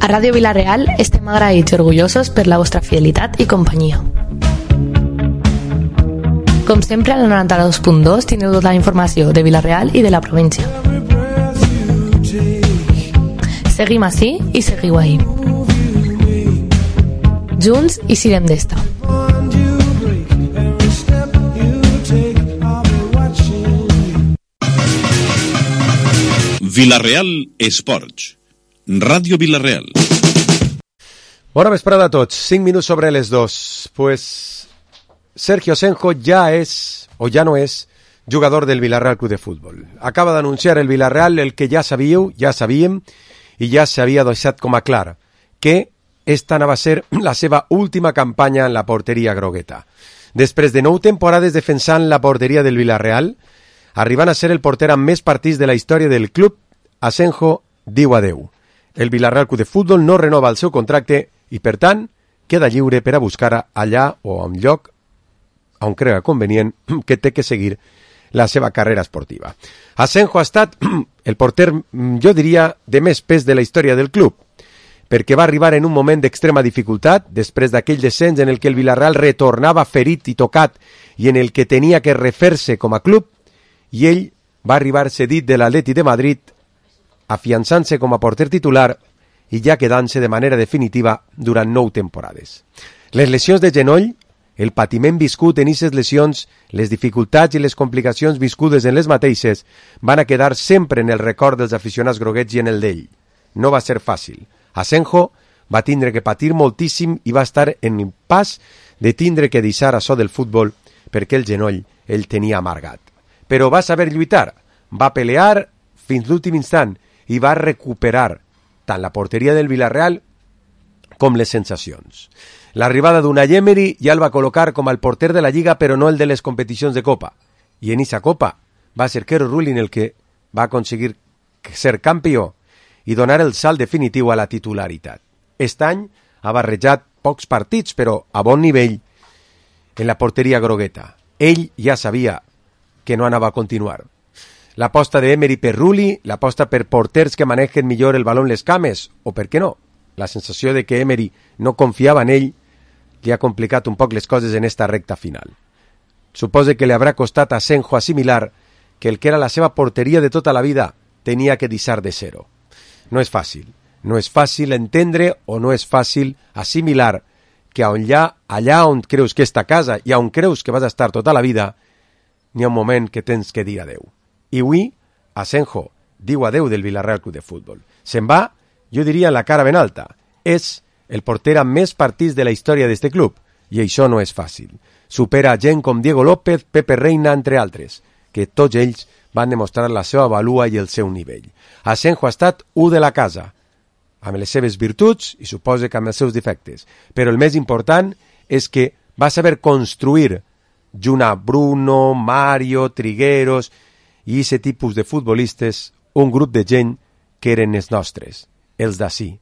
A Ràdio Vila-real estem agraïts i orgullosos per la vostra fidelitat i companyia. Com sempre, al 92.2 teniu tota la informació de Vila-real i de la província. Seguim ací i seguiu ahí. Junts i sirem d'esta. Vila-real Esports. Ràdio Vila-real. Bona vesprada a tots. 5 minuts sobre les 2. Pues Sergio Asenjo ya es, o ya no es, jugador del Villarreal Club de Fútbol. Acaba d'anunciar el Villarreal el que ja sabíem, i ja s'havia deixat com a clar, que esta anava a ser la seva última campanya en la porteria grogueta. Després de 9 temporades defensant la porteria del Villarreal, arribant a ser el porter amb més partits de la història del club, Asenjo diu adeu. El Villarreal Club de Fútbol no renova el seu contracte i, per tant, queda lliure per a buscar allà o a un lloc on crega convenient que té que seguir la seva carrera esportiva. Asenjo ha estat el porter, jo diria, de més pes de la història del club, perquè va arribar en un moment d'extrema dificultat, després d'aquell descens en el que el Villarreal retornava ferit i tocat i en el que tenia que refer-se com a club, i ell va arribar cedit de l'Atleti de Madrid, afiançant-se com a porter titular i ja quedant-se de manera definitiva durant 9 temporades. Les lesions de genoll, el patiment viscut en aquestes lesions, les dificultats i les complicacions viscudes en les mateixes van a quedar sempre en el record dels aficionats groguets i en el d'ell. No va ser fàcil. Asenjo va tindre que patir moltíssim i va estar en un pas de tindre que deixar açò del futbol perquè el genoll el tenia amargat. Però va saber lluitar, va pelear fins l'últim instant i va recuperar tant la porteria del Villarreal com les sensacions. L'arribada d'Unai Emery ja el va col·locar com el porter de la Lliga, però no el de les competicions de Copa. I en aquesta Copa va ser Quero Rulin el que va aconseguir ser campió i donar el salt definitiu a la titularitat. Aquest any ha barrejat pocs partits, però a bon nivell en la porteria grogueta. Ell ja sabia que no anava a continuar. L'aposta d'Emery per Rulli, l'aposta per porters que manegen millor el baló en les cames, o per què no? La sensació de que Emery no confiava en ell li ha complicat un poc les coses en esta recta final. Supose que li haurà costat a Asenjo assimilar que el que era la seva porteria de tota la vida tenia que deixar de ser-ho. No és fàcil. No és fàcil entendre o no és fàcil assimilar que allà on creus que està casa i on creus que vas a estar tota la vida, n'hi ha un moment que tens que dir adeu. I avui, Asenjo diu adeu del Villarreal Club de Fútbol. Se'n va, jo diria, en la cara ben alta. És el porter amb més partits de la història d'este club, i això no és fàcil. Supera gent com Diego López, Pepe Reina, entre altres, que tots ells van demostrar la seva valua i el seu nivell. Asenjo ha estat u de la casa, amb les seves virtuts i suposa que amb els seus defectes, però el més important és que va saber construir junt a Bruno, Mario, Trigueros i aquest tipus de futbolistes un grup de gent que eren els nostres, els d'ací.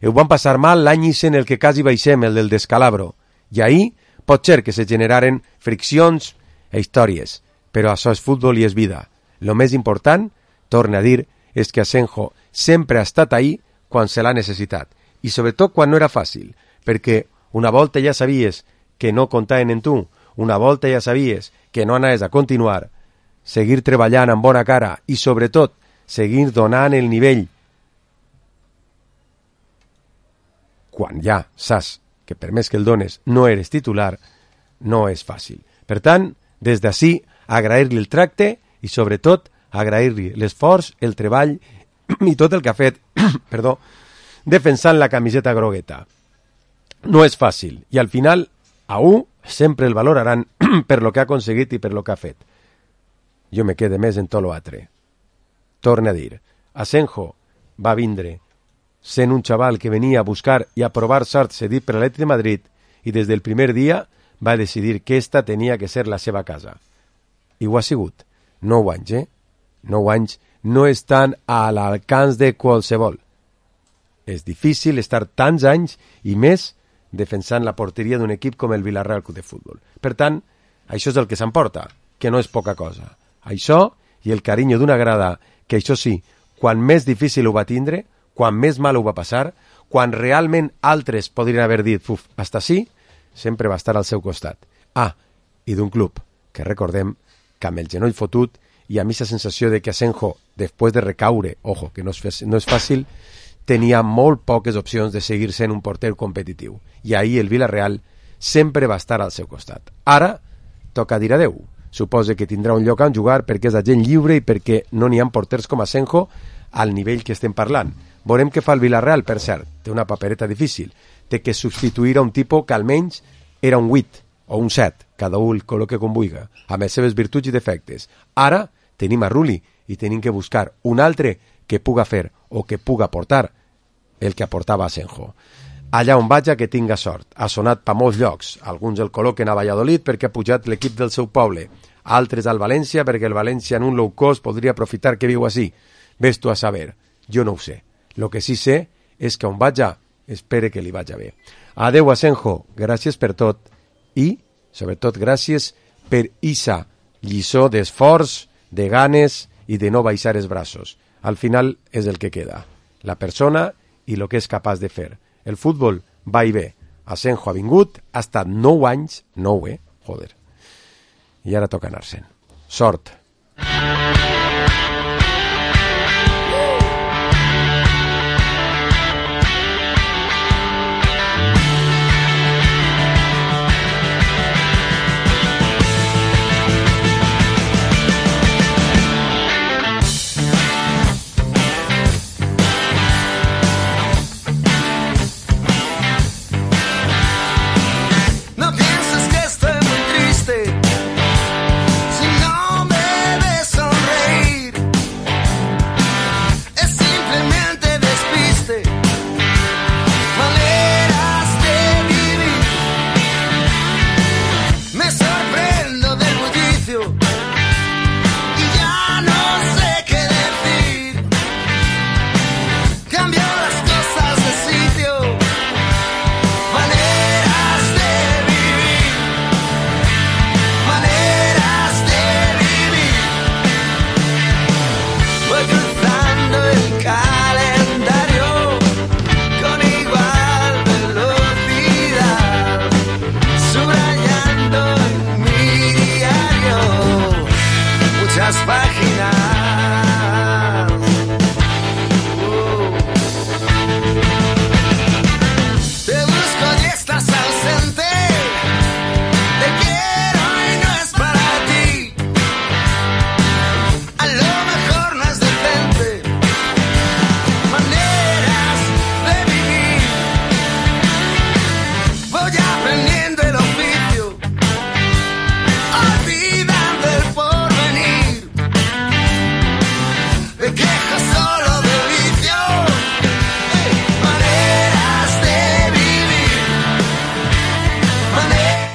Ho van passar mal l'any en el que quasi baixem, el del descalabro, i ahir pot ser que se generaren friccions e històries, però això és futbol i és vida. Lo més important, torna a dir, és que Asenjo sempre ha estat ahí quan se l'ha necessitat, i sobretot quan no era fàcil, perquè una volta ja sabies que no comptaven en tu, una volta ja sabies que no anaves a continuar, seguir treballant amb bona cara i sobretot seguir donant el nivell quan ja saps que per més que el dones no eres titular, no és fàcil. Per tant, des d'ací, agrair-li el tracte i sobretot agrair-li l'esforç, el treball i tot el que ha fet defensant la camiseta grogueta. No és fàcil i al final a un sempre el valoraran per lo que ha aconseguit i per lo que ha fet. Jo me quede més en tot l'altre. Torna a dir, Asenjo va vindre sent un xaval que venia a buscar i a provar sort cedit per l'Atleti de Madrid i des del primer dia va decidir que esta tenia que ser la seva casa. I ho ha sigut. 9 anys, 9 anys no estan a l'alcance de qualsevol. És difícil estar tants anys i més defensant la porteria d'un equip com el Villarreal Club de Fútbol. Per tant, això és el que s'emporta, que no és poca cosa. Això i el carinyo d'una grada que, això sí, quan més difícil ho va tindre, quan més mal ho va passar, quan realment altres podrien haver dit hasta sí, sempre va estar al seu costat. I d'un club que recordem que amb el genoll fotut i a mi la sensació de que Asenjo, després de recaure, ojo, que no és fàcil, tenia molt poques opcions de seguir sent un porter competitiu. I ahir el Villarreal sempre va estar al seu costat. Ara toca dir adeu. Suposa que tindrà un lloc on jugar perquè és agent lliure i perquè no n'hi ha porters com Asenjo al nivell que estem parlant. Veurem què fa el Villarreal, per cert. Té una papereta difícil. Té que substituir a un tipus que almenys era un 8 o un 7, cada un el col·loque com vulgui, amb les seves virtuts i defectes. Ara tenim a Rulli i tenim que buscar un altre que puga fer o que puga aportar el que aportava Asenjo. Allà on vaja que tinga sort. Ha sonat per molts llocs. Alguns el col·loquen a Valladolid perquè ha pujat l'equip del seu poble. Altres al València perquè el València en un low cost podria aprofitar que viu així. Ves tu a saber. Jo no ho sé. Lo que sí sé és que on vaja, espere que li vaja bé. Adeu, Asenjo. Gràcies per tot. I, sobretot, gràcies per issa lliçó d'esforç, de ganes i de no baixar els braços. Al final és el que queda. La persona i el que és capaç de fer. El futbol va i ve. Asenjo ha vingut, ha estat 9 anys, 9, joder. I ara toca anar-se'n. Sort.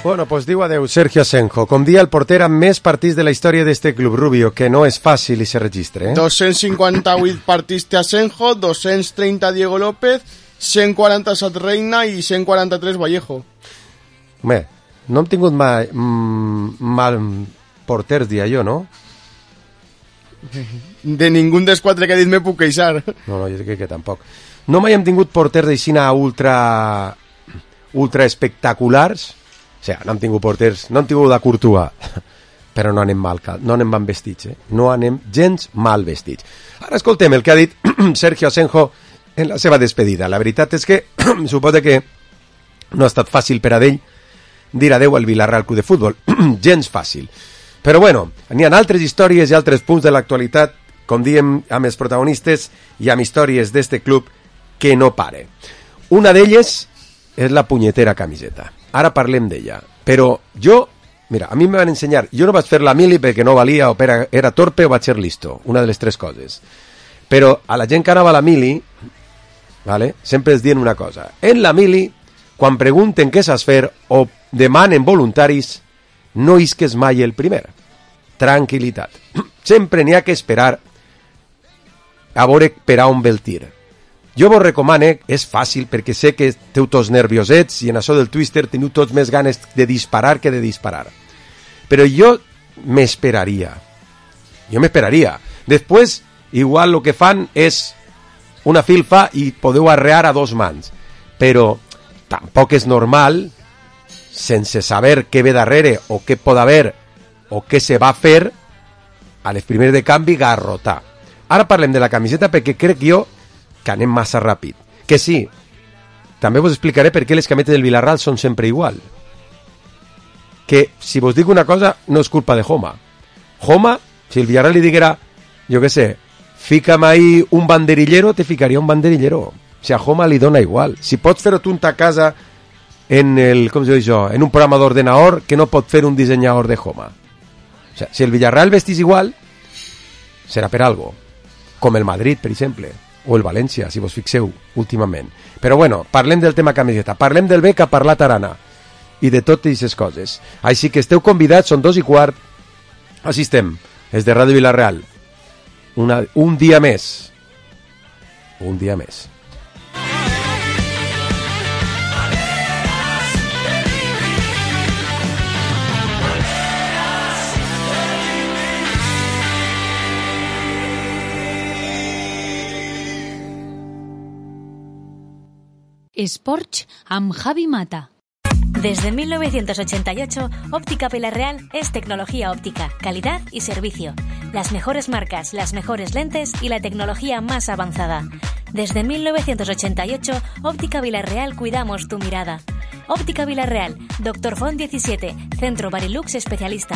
Bueno, pues diu adeu Sergio Asenjo. Com dia el porter amb més partits de la història d'este club, Rubio, que no és fàcil i se registre, 258 partits té Asenjo, 230 Diego López, 147 Reina i 143 Vallejo. Home, no hem tingut mai mal porters, dia jo, no? De ningú dels 4 que he dit me puc queixar. No, jo crec que tampoc. No mai hem tingut porters d'aixina ultra espectaculars. O sigui, no hem tingut porters, no hem tingut la Courtois, però no anem mal vestits, no anem gens mal vestits. Ara escoltem el que ha dit Sergio Asenjo en la seva despedida. La veritat és que suposa que no ha estat fàcil per a ell dir adeu al Villarreal Club de Futbol, gens fàcil. Però bueno, n'hi ha altres històries i altres punts de l'actualitat, com diem, amb els protagonistes i amb històries d'este club que no pare. Una d'elles és la punyetera camiseta. Ara parlem d'ella. Però jo, mira, a mi me van ensenyar, jo no vaig fer la mili perquè no valia o era torpe o vaig ser listo, una de les 3 coses. Però a la gent que anava a la mili, vale, sempre els diuen una cosa. En la mili, quan pregunten què saps fer o demanen voluntaris, no isques mai el primer. Tranquilitat. Sempre n'hi ha que esperar a veure per a on ve el tir. Jo vos recomane, és fàcil perquè sé que teniu tots nerviosets i en això del Twister teniu tots més ganes de disparar que de disparar. Però jo m'esperaria. Després, igual el que fan és una filfa i podeu arrear a 2 mans. Però tampoc és normal, sense saber què ve darrere o què pot haver o què se va fer, a les primeres de canvi garrotar. Ara parlem de la camiseta perquè crec jo que anem massa ràpid. Que sí, també vos explicaré per què les camisetes del Villarreal són sempre igual. Que, si vos dic una cosa, no és culpa de Joma. Joma, si el Villarreal li diguera, jo què sé, fica'm ahí un banderillero, te ficaria un banderillero. Si a Joma li dona igual. Si pots fer-ho tu a casa en el, com se diu això, en un programa d'ordenador que no pot fer un dissenyador de Joma. O sea, si el Villarreal vestís igual, serà per algo. Com el Madrid, per exemple, o el València, si vos fixeu últimament. Però bueno, parlem del tema camiseta, parlem del bé que ha parlat Arana i de totes aquestes coses. Així que esteu convidats, són 2:15, així estem, és de Ràdio Villarreal. Un dia més. Un dia més. Sports amb Javi Mata. Desde 1988, Óptica Villarreal es tecnología óptica, calidad y servicio. Las mejores marcas, las mejores lentes y la tecnología más avanzada. Desde 1988, Óptica Villarreal cuidamos tu mirada. Óptica Villarreal, Dr. Font 17, Centro Barilux especialista.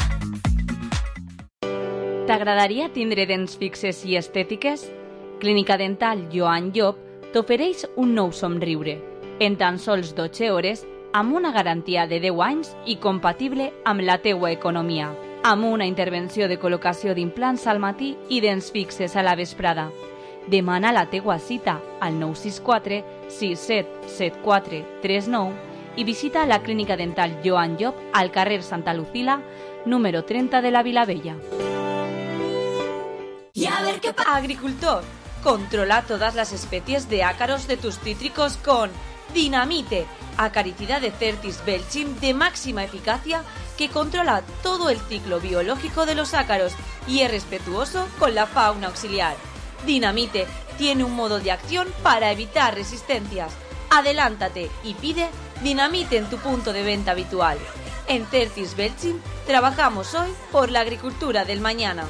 T'agradaria tindre dents fixes i estètiques? Clínica Dental Joan Llop t'ofereix un nou somriure, en tan sols 12 hores, amb una garantia de 10 anys i compatible amb la teua economia, amb una intervenció de col·locació d'implants al matí i dents fixes a la vesprada. Demana la teua cita al 964 6774 39 i visita la Clínica Dental Joan Llop al carrer Santa Lucila, número 30 de la Vilavella. Agricultor, controla todas las especies de ácaros de tus cítricos con Dinamite, acaricida de Certis Belchim de máxima eficacia que controla todo el ciclo biológico de los ácaros y es respetuoso con la fauna auxiliar. Dinamite tiene un modo de acción para evitar resistencias. Adelántate y pide Dinamite en tu punto de venta habitual. En Certis Belchim trabajamos hoy por la agricultura del mañana.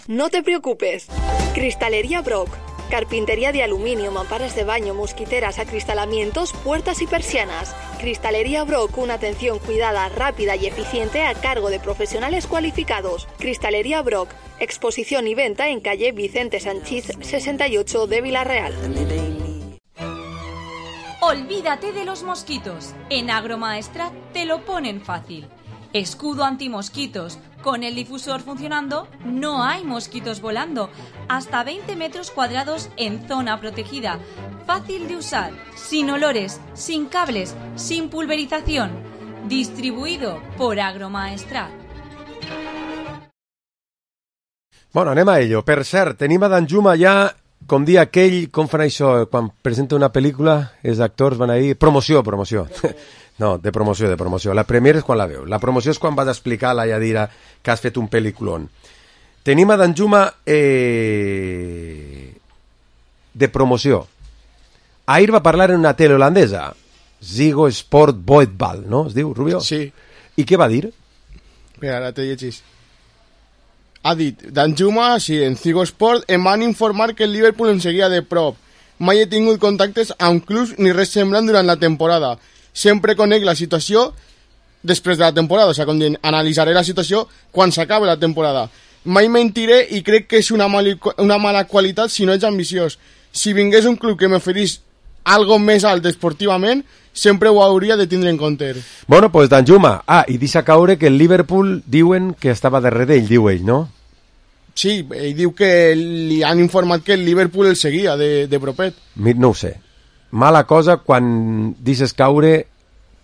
No te preocupes. Cristalería Brock. Carpintería de aluminio, mamparas de baño, mosquiteras, acristalamientos, puertas y persianas. Cristalería Brock, una atención cuidada, rápida y eficiente a cargo de profesionales cualificados. Cristalería Brock, exposición y venta en calle Vicente Sanchís 68 de Villarreal. Olvídate de los mosquitos. En Agromaestrat te lo ponen fácil. Escudo antimosquitos. Con el difusor funcionando, no hay mosquitos volando. Hasta 20 metros cuadrados en zona protegida. Fácil de usar, sin olores, sin cables, sin pulverización. Distribuido por Agromaestrat. Bueno, anem a ello. Per cert, tenim a Danjuma ja, com dia aquell, com fan això, quan presenta una pel·lícula, els actors van a dir, promoció. No, de promoció. La premiere és quan la veu. La promoció és quan vas explicar a la Yadira que has fet un pel·liculón. Tenim a Danjuma de promoció. Ahir va parlar en una tele holandesa, Ziggo Sport Voetbal, no? Es diu, Rubio? Sí. I què va dir? Espera, ara te llegis. Ha dit, Danjuma, sí, en Ziggo Sport em van informar que el Liverpool em seguia de prop. Mai he tingut contactes amb clubs ni res semblant durant la temporada. Sempre conec la situació després de la temporada, o sigui, com dient, analitzaré la situació quan s'acabi la temporada. Mai mentiré i crec que és una mala qualitat si no ets ambiciós. Si vingués un club que m'oferís algo més alt esportivament, sempre ho hauria de tindre en compte. Bueno, pues Danjuma, i deixa caure que el Liverpool diuen que estava darrere d'ell, diu ell, no? Sí, ell diu que li han informat que el Liverpool el seguia de propet. No ho sé. Mala cosa quan dices caure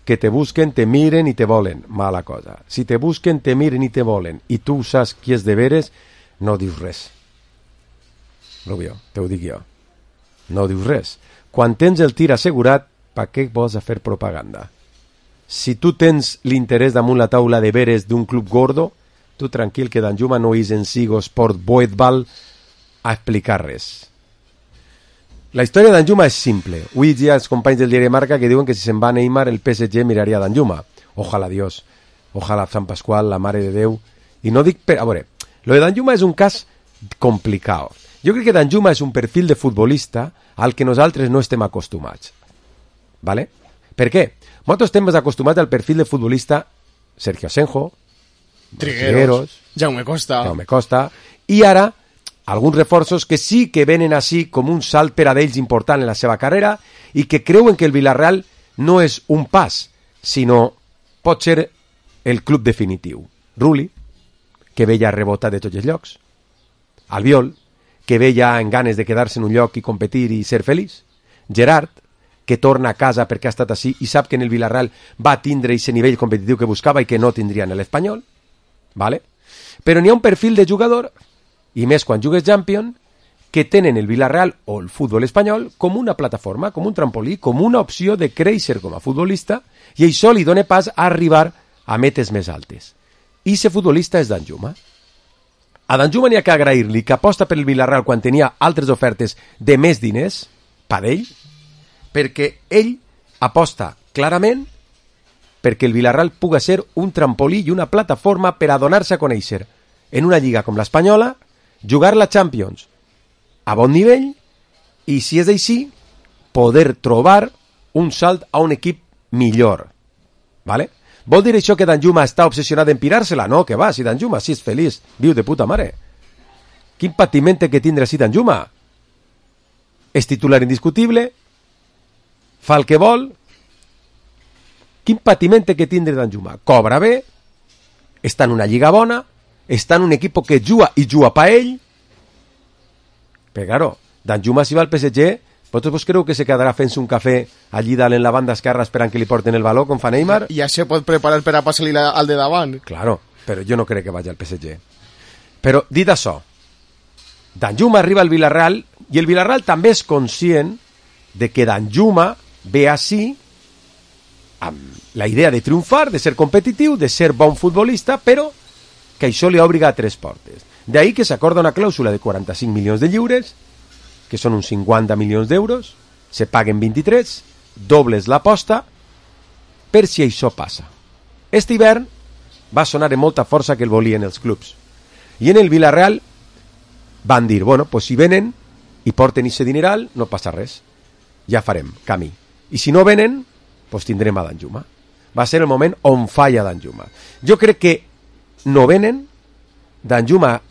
que te busquen, te miren i te volen. Mala cosa. Si te busquen, te miren i te volen i tu saps qui és de veres, no dius res. Rubio, te ho dic jo. No dius res. Quan tens el tir assegurat, per què vols fer propaganda? Si tu tens l'interès damunt la taula de veres d'un club gordo, tu tranquil que Danjuma no és en Ziggo Sport Voetbal a explicar res. La història d'Anjuma és simple. Avui hi ha els companys del diari Marca que diuen que si se'n va Neymar el PSG miraria d'Anjuma. Ojalà Dios, ojalà Sant Pasqual, la Mare de Déu. I no dic per... A veure, lo de d'Anjuma és un cas complicat. Jo crec que d'Anjuma és un perfil de futbolista al que nosaltres no estem acostumats. ¿Vale? Per què? Nosaltres estem més acostumats al perfil de futbolista Sergio Asenjo, Trigueros, Jaume Costa, i ara alguns reforços que sí que venen així com un salt per a d'ells important en la seva carrera i que creuen que el Villarreal no és un pas, sinó pot ser el club definitiu. Rulli, que ve ja rebotat de tots els llocs. Albiol, que ve ja en ganes de quedar-se en un lloc i competir i ser feliç. Gerard, que torna a casa perquè ha estat així i sap que en el Villarreal va tindre aquest nivell competitiu que buscava i que no tindria en l'Espanyol. ¿Vale? Però n'hi ha un perfil de jugador, i més quan jugues Champions, que tenen el Villarreal o el futbol espanyol com una plataforma, com un trampolí, com una opció de créixer com a futbolista, i això li dona pas a arribar a metes més altes. I aquest futbolista és Danjuma. A Danjuma n'hi ha que agrair-li que aposta per el Villarreal quan tenia altres ofertes de més diners, per ell, perquè ell aposta clarament perquè el Villarreal puga ser un trampolí i una plataforma per a donar-se a conèixer en una lliga com l'Espanyola, jugar la Champions a bon nivell i, si és així, poder trobar un salt a un equip millor. ¿Vale? Vol dir això que Danjuma està obsessionat en pirar-se-la? No, que va, si Danjuma si és feliç, viu de puta mare. Quin patiment té que tindre si Danjuma? És titular indiscutible, fa el que vol. Quin patiment té que tindre Danjuma? Cobra bé, està en una lliga bona, està en un equip que juga i juga per ell. Però, claro, Danjuma si va al PSG, vosaltres creu que se quedarà fent-se un cafè allí dalt en la banda esquerra esperant que li porten el baló com fa Neymar? Ja se pot preparar per a passar-li al de davant. Claro, però jo no crec que vagi al PSG. Però, dit això, Danjuma arriba al Villarreal i el Villarreal també és conscient de que Danjuma ve així amb la idea de triomfar, de ser competitiu, de ser bon futbolista, però que això li obliga a tres portes. D'ahí que s'acorda una clàusula de 45 milions de lliures, que són uns 50 milions d'euros, se paguen 23, dobles l'aposta, per si això passa. Este hivern va sonar amb molta força que el volien els clubs. I en el Villarreal van dir, bueno, pues si venen i porten ese dineral, no passa res. Ja farem camí. I si no venen, pues tindrem a Danjuma. Va ser el moment on falla Danjuma. Jo crec que no venen, Danjuma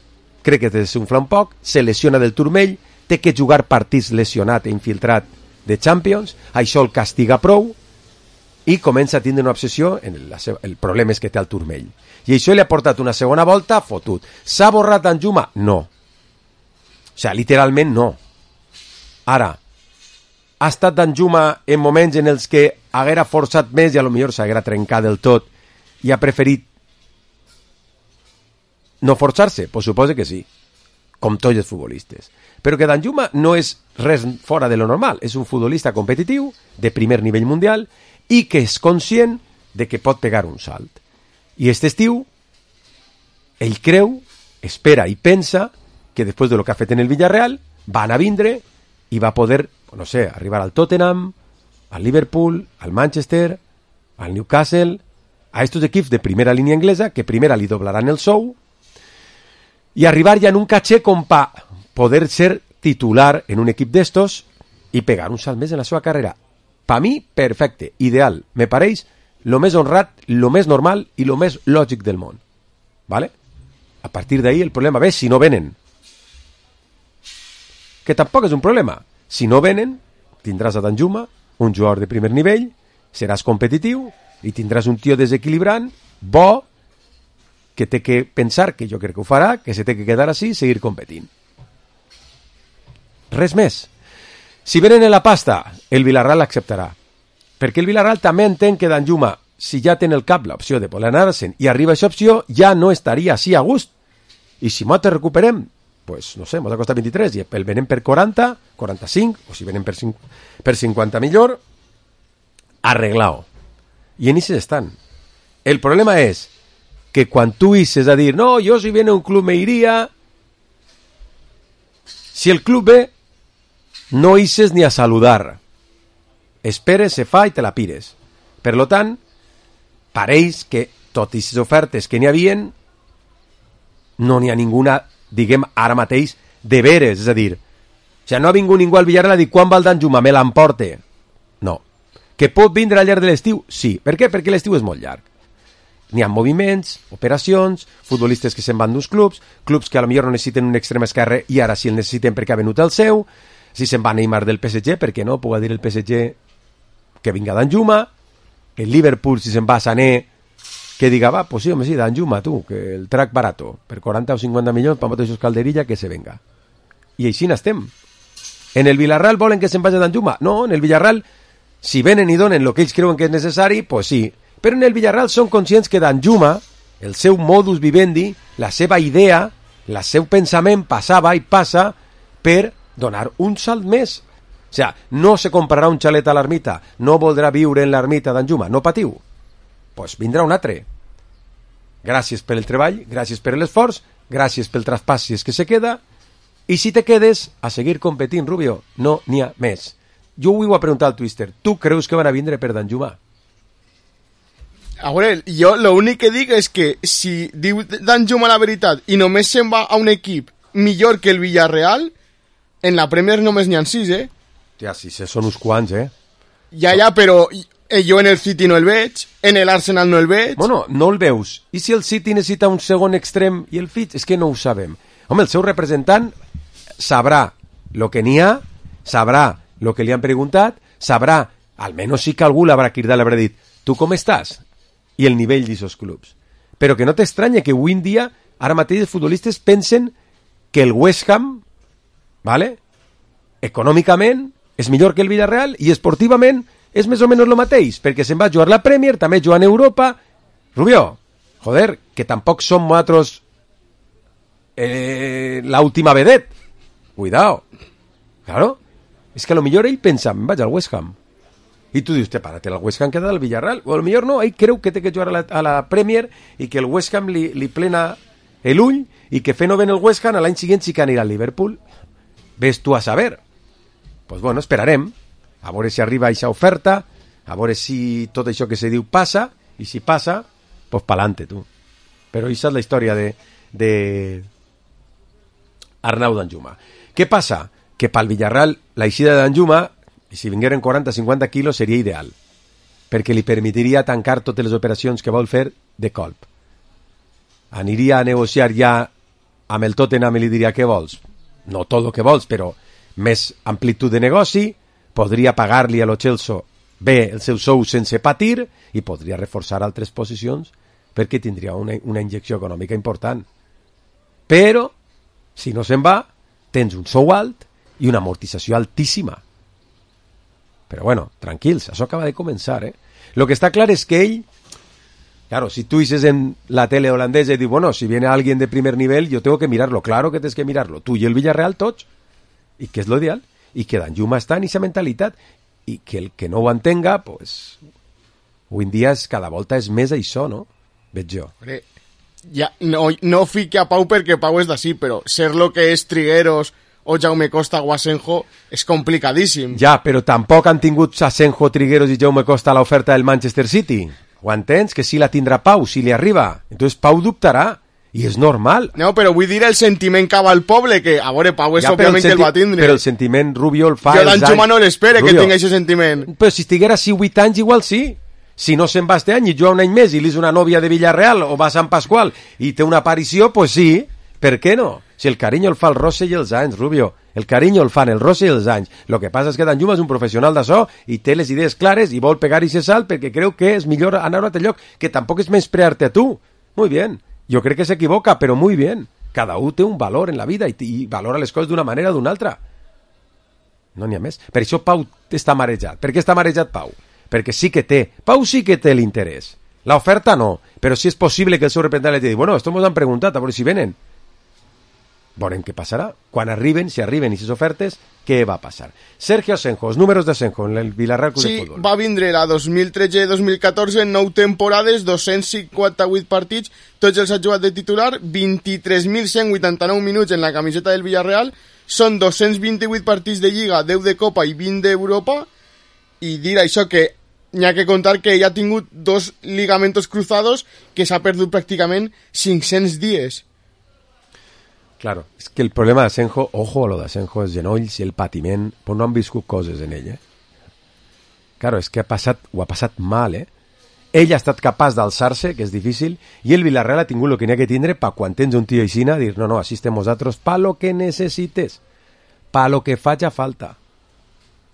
crec que es desunfla un poc, se lesiona del turmell, té que jugar partits lesionat i infiltrat de Champions, això el castiga prou i comença a tindre una obsessió en el problema és que té el turmell. I això li ha portat una segona volta fotut. S'ha borrat Danjuma? No. O sigui, literalment no. Ara, ha estat Danjuma en moments en els que haguera forçat més i a lo millor s'haguera trencat del tot i ha preferit no forçar-se? Pues suposo que sí, com tots els futbolistes. Però que Danjuma no és res fora de lo normal, és un futbolista competitiu de primer nivell mundial i que és conscient de que pot pegar un salt. I aquest estiu ell creu, espera i pensa que després de lo que ha fet en el Villarreal van a vindre i va poder, no sé, arribar al Tottenham, al Liverpool, al Manchester, al Newcastle, a estos equips de primera línia anglesa que primera li doblaran el sou i arribar ja en un caché com pa poder ser titular en un equip d'estos i pegar un salt més en la seva carrera. Per mi, perfecte, ideal. Me pareix lo més honrat, lo més normal i lo més lògic del món. ¿Vale? A partir d'ahí el problema ve si no venen. Que tampoc és un problema. Si no venen, tindràs a Danjuma, un jugador de primer nivell, seràs competitiu i tindràs un tio desequilibrant, bo, que té que pensar, que jo crec que ho farà, que se té que quedar així i seguir competint. Res més. Si venen en la pasta, el Villarreal l'acceptarà. Perquè el Villarreal també entén que Danjuma, si ja té en el cap l'opció de voler anar-se'n i arriba aquesta opció, ja no estaria així a gust. I si nosaltres recuperem, pues, no sé, ens ha costat 23 i el venen per 40, 45, o si venen per 50 millor, arreglao. I en ixes estan. El problema és que quan tu ixes a dir no, jo si viene un club me iria, Si el club ve, no ixes ni a saludar. Esperes, se fa i te la pires. Per lo tant, pareix que, tot i les ofertes que n'hi havien, no n'hi ha ninguna, diguem, ara mateix, de veres, és a dir, no ha vingut ningú al Villarreal a dir quan va el Danjuma, me l'emporte. No. Que pot vindre al llarg de l'estiu? Sí. Per què? Perquè l'estiu és molt llarg. N'hi ha moviments, operacions, futbolistes que se'n van d'uns clubs que a lo millor no necessiten un extrem esquerre i ara sí el necessiten perquè ha venut el seu, si se'n va Neymar del PSG, perquè no, puc dir el PSG que vinga Danjuma, el Liverpool si se'n va Sané, que diga, va, pues sí, home, sí, Danjuma, tu, que el trac barato, per 40 o 50 milions, per mateixos Calderilla, que se venga. I així n'estem. En el Villarreal volen que se'n vagi Danjuma? No, en el Villarreal, si venen i donen el que ells creuen que és necessari, pues sí. Però en el Villarreal són conscients que Danjuma, el seu modus vivendi, la seva idea, el seu pensament passava i passa per donar un salt més. O sigui, no se comprarà un xalet a l'ermita, no voldrà viure en l'ermita Danjuma, no patiu. Pues vindrà un altre. Gràcies pel treball, gràcies per l'esforç, gràcies pel traspàs si és que se queda, i si te quedes, a seguir competint, Rubio, no n'hi ha més. Jo ho he preguntat al Twister, tu creus que van a vindre per Danjuma? A veure, jo l'únic que dic és que si diu Danjuma la veritat i només se'n va a un equip millor que el Villarreal, en la Premier només n'hi ha 6, Ja, sí, són uns quants, Ja, però jo en el City no el veig, en l'Arsenal no el veig. Bueno, no el veus. I si el City necessita un segon extrem i el fitx? És que no ho sabem. Home, el seu representant sabrà el que n'hi ha, sabrà el que li han preguntat, sabrà, almenys sí que algú l'haurà cridat, l'haurà dit, tu com estàs? I el nivell d'aquests clubs. Però que no t'estranya que avui en dia, ara mateix els futbolistes pensen que el West Ham, ¿vale?, econòmicament és millor que el Villarreal i esportivament és més o menys el mateix, perquè se'n va jugar la Premier, també jugant a Europa. Rubio, joder, que tampoc som nosaltres la última vedet. Cuidao. Claro, és que a lo millor ell pensa, vaig al West Ham. I tu dius, párate, el West Ham queda al Villarreal. O a lo millor no, ell creu que té que jugar a la Premier i que el West Ham li plena l'ull i que fent-ho ben el West Ham l'any següent sí que anirà al Liverpool. Ves tu a saber. Pues bueno, esperarem a veure si arriba aquesta oferta, a veure si tot això que se diu passa, i si passa, pues pa'lante, tu. Però aquesta és la història de Arnau Danjuma. Què passa? Que pel Villarreal la eixida de Danjuma, i si vingueren 40-50 quilos, seria ideal, perquè li permetiria tancar totes les operacions que vol fer de colp. Aniria a negociar ja amb el Tottenham i li diria, què vols? No tot el que vols, però més amplitud de negoci, podria pagar-li a lo Chelsea bé el seu sou sense patir i podria reforçar altres posicions perquè tindria una injecció econòmica important. Però, si no se'n va, tens un sou alt i una amortització altíssima. Però bueno, tranquils, això acaba de començar, Lo que està clar és que ell, claro, si tú dices en la tele holandesa y dices, bueno, si viene alguien de primer nivel, yo tengo que mirarlo, claro que tienes que mirarlo, tú y el Villarreal tots, i que és lo ideal, i que Danjuma està en aquesta mentalitat, i que el que no ho entenga, pues, avui en dia cada volta és més això, no? Veig jo. Ja, no fique a Pau perquè Pau és d'ací, però ser lo que és Trigueros o Jaume Costa o Asenjo és complicadíssim. Ja, però tampoc han tingut Asenjo, Trigueros i Jaume Costa a l'oferta del Manchester City. Ho entens? Que sí la tindrà Pau, si li arriba. Entonces Pau dubtarà. I és normal. No, però vull dir el sentiment que va al poble, que, a veure, Pau és òbviament que el va tindre. Però el sentiment, Rubio, el fa jo Danjuma no l'espere que tingui aquest sentiment. Però si estiguera 8 anys, igual sí. Si no se'n va este any i juga un any més i li és una nòvia de Villarreal o va a Sant Pasqual i té una aparició, pues sí. Per què no? Si el carinyo el fa el rosse i els anys, Rubio. El carinyo el fan el rosse i els anys. Lo que passa és que Danjuma és un professional d'això i té les idees clares i vol pegar i ser salt perquè creu que és millor anar a un altre lloc, que tampoc és menysprear-te a tu. Muy bien. Jo crec que s'equivoca, però muy bien. Cada un té un valor en la vida i valora les coses d'una manera o d'una altra. No n'hi ha més. Per això Pau està marejat. Per què està marejat Pau? Perquè sí que té. Pau sí que té l'interès. L'oferta no. Però sí és possible que el seu representant li digui, bueno, esto mos han preguntat, a veure si venen. Veurem què passarà. Quan arriben, si arriben aquestes ofertes, què va passar? Sergio Asenjo, els números d'Asenjo en el Villarreal Club de Futbol. Sí, va vindre la 2013-2014, 9 temporades, 258 partits, tots els ha jugat de titular, 23.189 minuts en la camiseta del Villarreal, són 228 partits de Lliga, 10 de Copa i 20 d'Europa, i dir això que n'hi ha que contar que ell ha tingut 2 ligamentos cruzados que s'ha perdut pràcticament 500 dies. Claro, és que el problema d'Asenjo, ojo a lo d'Asenjo, els genolls i el patiment, però no han viscut coses en ell, Claro, és que ho ha passat mal, Ell ha estat capaç d'alçar-se, que és difícil, i el Villarreal ha tingut el que n'hi ha que tindre per quan tens un tio aixina, dir, no, així estem nosaltres, pa lo que necessites, pa lo que faci falta,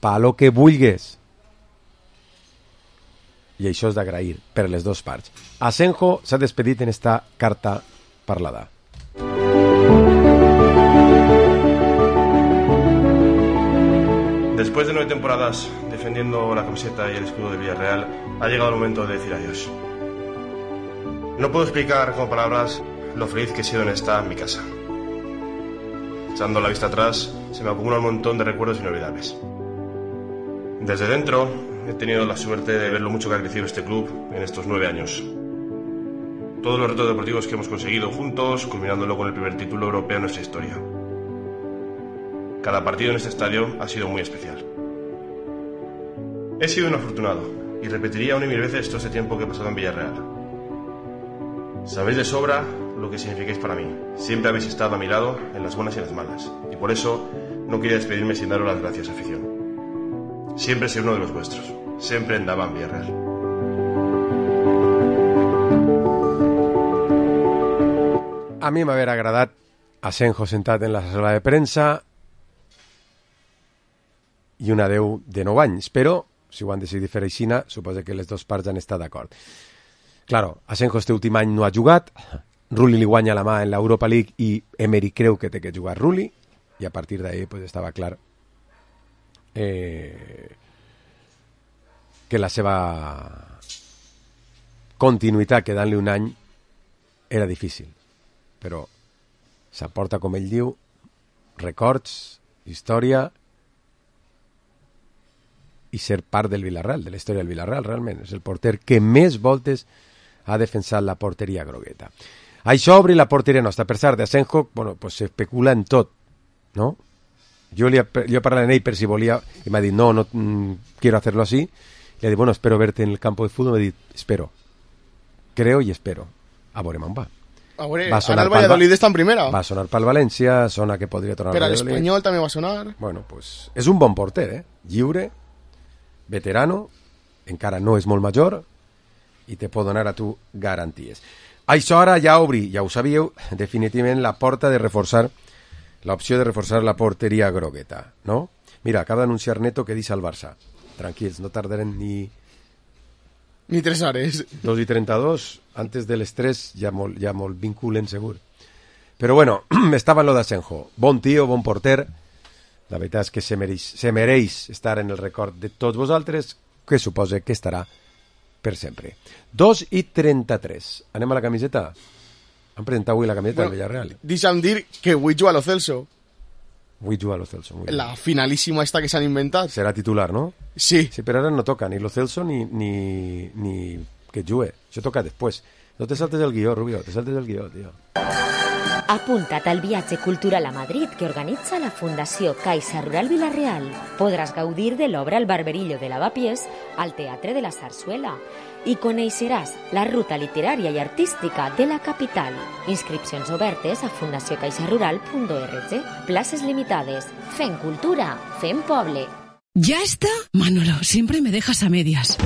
pa lo que vulgues. I això és d'agrair per les dues parts. Asenjo s'ha despedit en esta carta parlada. Después de 9 temporadas defendiendo la camiseta y el escudo de Villarreal, ha llegado el momento de decir adiós. No puedo explicar con palabras lo feliz que he sido en esta mi casa. Echando la vista atrás, se me acumula un montón de recuerdos inolvidables. Desde dentro, he tenido la suerte de ver lo mucho que ha crecido este club en estos 9 años. Todos los retos deportivos que hemos conseguido juntos, culminándolo con el primer título europeo en nuestra historia. Cada partido en este estadio ha sido muy especial. He sido un afortunado y repetiría 1 y 1000 veces todo este tiempo que he pasado en Villarreal. Sabéis de sobra lo que significáis para mí. Siempre habéis estado a mi lado en las buenas y en las malas. Y por eso no quería despedirme sin daros las gracias, afición. Siempre seré uno de los vuestros. Siempre andaba en Villarreal. A mi m'haver agradat Asenjo sentat en la sala de premsa i un adeu de 9 anys, però si ho han decidit fer aixina, suposo que les dues parts han estat d'acord. Claro, Asenjo este últim any no ha jugat, Rulli li guanya la mà en l'Europa League i Emery creu que té que jugar Rulli, i a partir d'ahí pues, estava clar que la seva continuïtat quedant-li un any era difícil, però s'aporta, com ell diu, records, història i ser part del Villarreal, de la història del Villarreal, realment. És el porter que més voltes ha defensat la porteria grogueta. Això obri la porteria nostra. Per cert, d'Asenjo, bueno, pues s'especula en tot, no? Jo he parlat amb ell per si volia, i m'ha dit, no, quiero hacerlo así. Le he dit, bueno, espero verte en el campo de fútbol. M'ha dit, espero. Creo y espero. A veure, me'n va. A veure, ara el Valladolid està en primera. Va sonar pel València, sona que podria tornar al Valladolid. Per l'Espanyol també va sonar. Bueno, pues és un bon porter, lliure, veterano, encara no és molt major i te pot donar a tu garanties. Això ara ja obri, ja ho sabíeu, definitivament la porta de reforçar, l'opció de reforçar la porteria grogueta, no? Mira, acaba d'anunciar Neto que deixa el Barça. Tranquils, no tardarem ni 3 hores. 2:32, antes de les 3 ja molt vinculen segur. Però bueno, estava en lo d'Asenjo. Bon tio, bon porter. La veritat és que se mereix estar en el record de tots vosaltres, que suposa que estarà per sempre. 2:33. Anem a la camiseta? Han presentat avui la camiseta del Villarreal. Deixa'm dir que avui juga a Lo Celso. Avui juga a Lo Celso. La finalíssima esta que s'han inventat. Serà titular, no? Sí. Sí, però ara no toca ni Lo Celso ni que jugue. Això toca després. No te saltes el guió, Rubio, te saltes el guió, tio. Apunta't al viatge cultural a Madrid que organitza la Fundació Caixa Rural Villarreal. Podràs gaudir de l'obra El barberillo de Lavapiés al Teatre de la Zarzuela i coneixeràs la ruta literària i artística de la capital. Inscripcions obertes a fundaciocaixarural.org. Places limitades. Fem cultura, fem poble. ¿Ya está? Manolo, siempre me dejas a medias.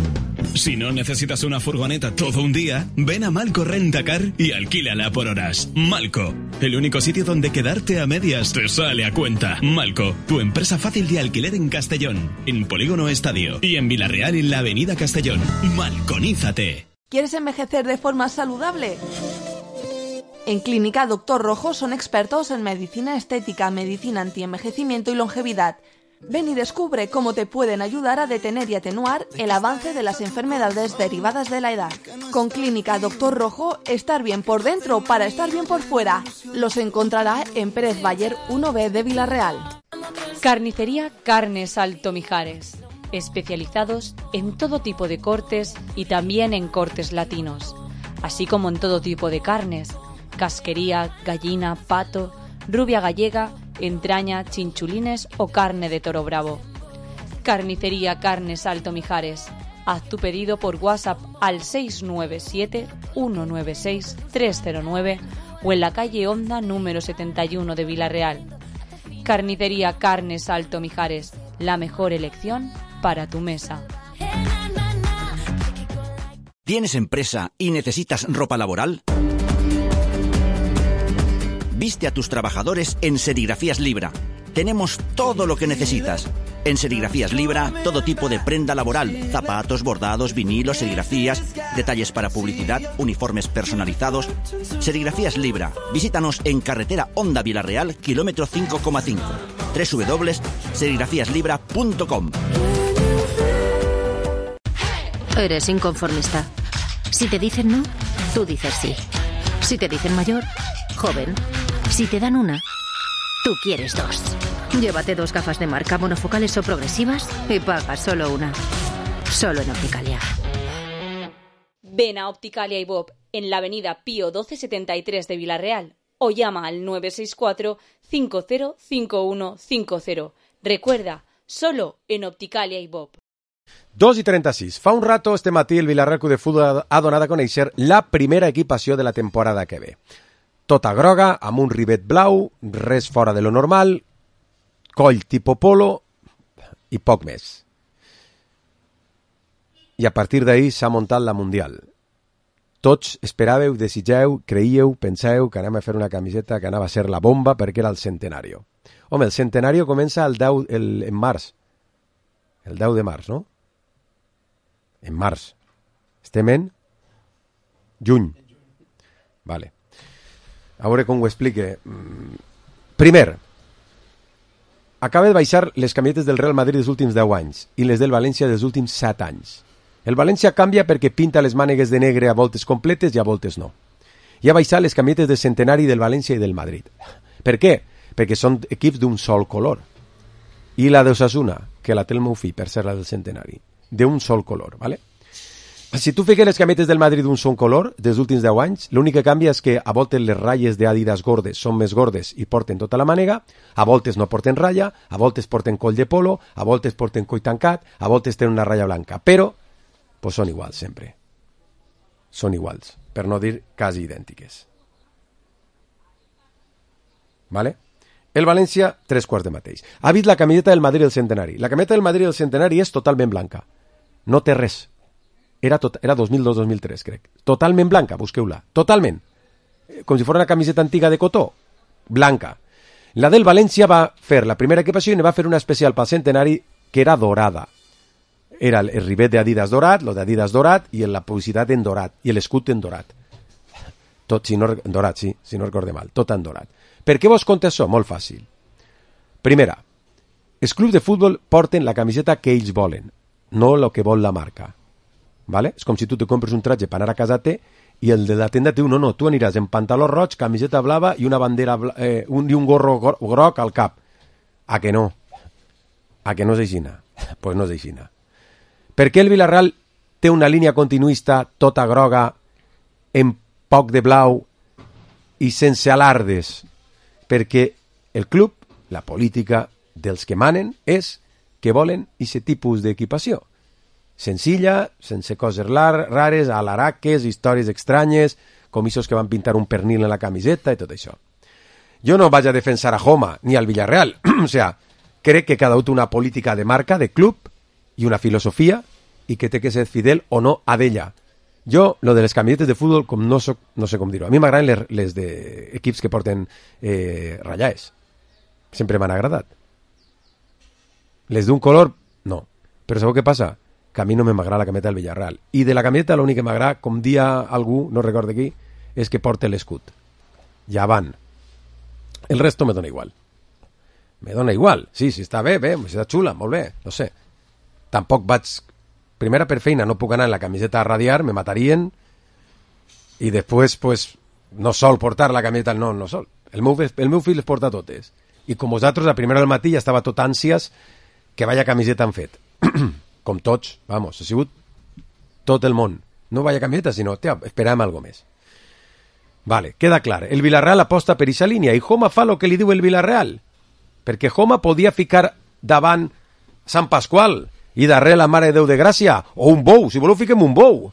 Si no necesitas una furgoneta todo un día, ven a Malco Rentacar y alquílala por horas. Malco, el único sitio donde quedarte a medias te sale a cuenta. Malco, tu empresa fácil de alquiler en Castellón, en Polígono Estadio y en Villarreal en la Avenida Castellón. Malconízate. ¿Quieres envejecer de forma saludable? En Clínica Doctor Rojo son expertos en medicina estética, medicina antienvejecimiento y longevidad. Ven y descubre cómo te pueden ayudar a detener y atenuar el avance de las enfermedades derivadas de la edad. Con Clínica Doctor Rojo, estar bien por dentro para estar bien por fuera. Los encontrará en Pérez Bayer 1B de Villarreal. Carnicería Carnes Alto Mijares. Especializados en todo tipo de cortes y también en cortes latinos. Así como en todo tipo de carnes. Casquería, gallina, pato, rubia gallega entraña, chinchulines o carne de toro bravo. Carnicería Carnes Alto Mijares. Haz tu pedido por WhatsApp al 697-196-309 o en la calle Honda número 71 de Villarreal. Carnicería Carnes Alto Mijares, la mejor elección para tu mesa. ¿Tienes empresa y necesitas ropa laboral? Viste a tus trabajadores en Serigrafías Libra. Tenemos todo lo que necesitas. En Serigrafías Libra, todo tipo de prenda laboral, zapatos, bordados, vinilos, serigrafías, detalles para publicidad, uniformes personalizados. Serigrafías Libra. Visítanos en carretera Honda Villarreal, kilómetro 5,5. www.serigrafíaslibra.com. Eres inconformista. Si te dicen no, tú dices sí. Si te dicen mayor, joven. Si te dan una, tú quieres dos. Llévate 2 gafas de marca monofocales o progresivas y paga solo una. Solo en Opticalia. Ven a Opticalia y Bob en la avenida Pío 1273 de Villarreal o llama al 964 505150. Recuerda, solo en Opticalia y Bob. 2:36. Fa un rato, este matí, el Villarreal Club de Futbol ha donat a conèixer la primera equipació de la temporada que ve. Tota groga, amb un rivet blau, res fora de lo normal, coll tipo polo i poc més. I a partir d'ahir s'ha muntat la Mundial. Tots esperàveu, desitgeu, creíeu, penseu que anem a fer una camiseta que anava a ser la bomba perquè era el centenari. Home, el centenari comença en març. El 10 de març, no? En març. Estem en juny. Vale. A veure com ho explique. Primer, acaba de baixar les camisetes del Real Madrid dels últims 10 anys i les del València dels últims 7 anys. El València canvia perquè pinta les mànegues de negre a voltes completes i a voltes no. I ha baixat les camisetes de centenari del València i del Madrid. Per què? Perquè són equips d'un sol color. I la d'Osasuna, que la té el meu fill, per ser la del centenari, d'un sol color, ¿vale? Si tu fiques les camisetes del Madrid d'un sol color, dels últims 10 anys, l'únic que canvia és que a voltes les ratlles d'Adidas gordes són més gordes i porten tota la mànega, a voltes no porten ratlla, a voltes porten coll de polo, a voltes porten coll tancat, a voltes tenen una ratlla blanca, però pues són iguals sempre. Són iguals, per no dir quasi idèntiques. ¿Vale? El València, 3/4 de mateix. Ha vist la camiseta del Madrid del centenari. La camiseta del Madrid del centenari és totalment blanca. No té res. Era 2002-2003, crec. Totalment blanca, busqueu-la. Totalment. Com si fos una camiseta antiga de cotó. Blanca. La del València va fer la primera equipació i ne va fer una especial pel centenari que era dorada. Era el rivet d'Adidas dorat, lo d'Adidas dorat i la publicitat en dorat i l'escut en dorat. Tot, si no, dorat, sí, si no recorde mal. Tot en dorat. Per què vos conto això? Molt fàcil. Primera, els clubs de futbol porten la camiseta que ells volen, no el que vol la marca. ¿Vale? És com si tu te compres un traje per anar a casa té i el de la tenda diu, no, tu aniràs en pantaló roig, camiseta blava i una bandera i un gorro groc al cap. A que no? A que no és aixina? Pues no és aixina. Per què el Villarreal té una línia continuista tota groga, en poc de blau i sense alardes? Perquè el club, la política dels que manen és que volen aquest tipus d'equipació. Senzilla, sense coses rares, alaraques, històries estranyes, comissos que van pintar un pernil en la camiseta i tot això. Jo no vaig a defensar a Joma ni al Villarreal. O sea, crec que cada un té una política de marca, de club i una filosofia i que té que ser fidel o no a d'ella. Jo, lo de les camisetes de futbol, com no sé com dir-ho. A mi m'agraden les d'equips que porten ratllades. Sempre m'han agradat. Les d'un color, no. Però sabeu què passa? Que a mi no m'agrada la camiseta del Villarreal. I de la camiseta l'únic que m'agrada, com dia algú, no recordo qui, és que porta l'escut. Ja van. El resto me dona igual. Me dona igual. Sí, si està bé, està xula, molt bé, no sé. Tampoc vaig... Primera, per feina, no puc anar en la camiseta a radiar, me matarien, i després, pues, no sol portar la camiseta, no sol. El meu fill les porta totes. I com vosaltres, a primera del matí ja estava tot ànsies que vaya camiseta han fet. Com tots, vamos, ha sigut tot el món. No vaya camiseta, sinó, esperem algo més. Vale, queda clar. El Villarreal aposta per aquesta línia i Joma fa lo que li diu el Villarreal. perquè Homa podia ficar davant Sant Pasqual i darrere la Mare de Déu de Gràcia, o un bou, si voleu fiquem un bou.